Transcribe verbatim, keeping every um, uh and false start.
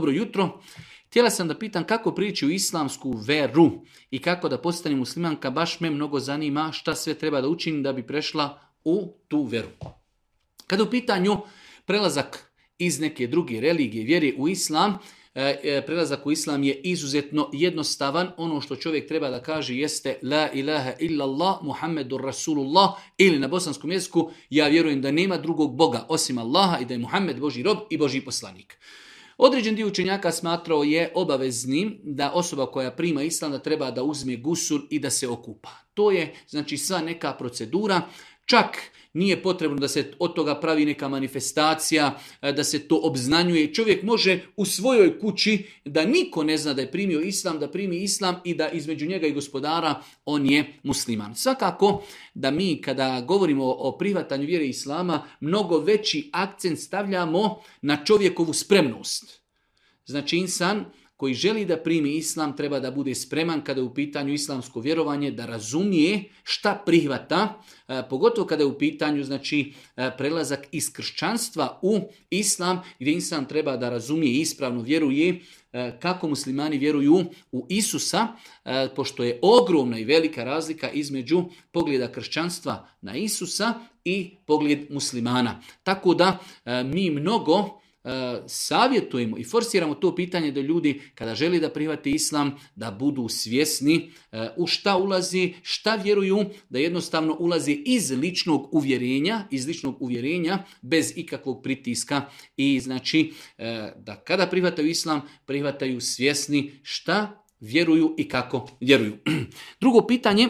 Dobro jutro. Htjela sam da pitam kako prići u islamsku veru i kako da postanem muslimanka. Baš me mnogo zanima šta sve treba da učinim da bi prešla u tu veru. Kada u pitanju prelazak iz neke druge religije, vjere u islam, prelazak u islam je izuzetno jednostavan. Ono što čovjek treba da kaže jeste la ilaha illallah Muhammedur Rasulullah, ili na bosanskom jeziku ja vjerujem da nema drugog Boga osim Allaha i da je Muhammed Božji rob i Božji poslanik. Određen dio učenjaka smatrao je obaveznim da osoba koja prima islam da treba da uzme gusul i da se okupa. To je znači sva neka procedura, čak nije potrebno da se od toga pravi neka manifestacija, da se to obznanjuje. Čovjek može u svojoj kući, da niko ne zna da je primio islam, da primi islam i da između njega i gospodara on je musliman. Svakako da mi kada govorimo o prihvatanju vjere islama, mnogo veći akcent stavljamo na čovjekovu spremnost. Znači insan koji želi da primi islam treba da bude spreman kada je u pitanju islamsko vjerovanje, da razumije šta prihvata, pogotovo kada je u pitanju znači prelazak iz kršćanstva u islam, gdje insan treba da razumije i ispravno vjeruje kako muslimani vjeruju u Isusa, pošto je ogromna i velika razlika između pogleda kršćanstva na Isusa i pogled muslimana. Tako da mi mnogo savjetujemo i forsiramo to pitanje da ljudi kada želi da prihvate islam da budu svjesni u šta ulazi, šta vjeruju, da jednostavno ulazi iz ličnog uvjerenja, iz ličnog uvjerenja bez ikakvog pritiska i znači da kada prihvataju islam prihvataju svjesni šta vjeruju i kako vjeruju. Drugo pitanje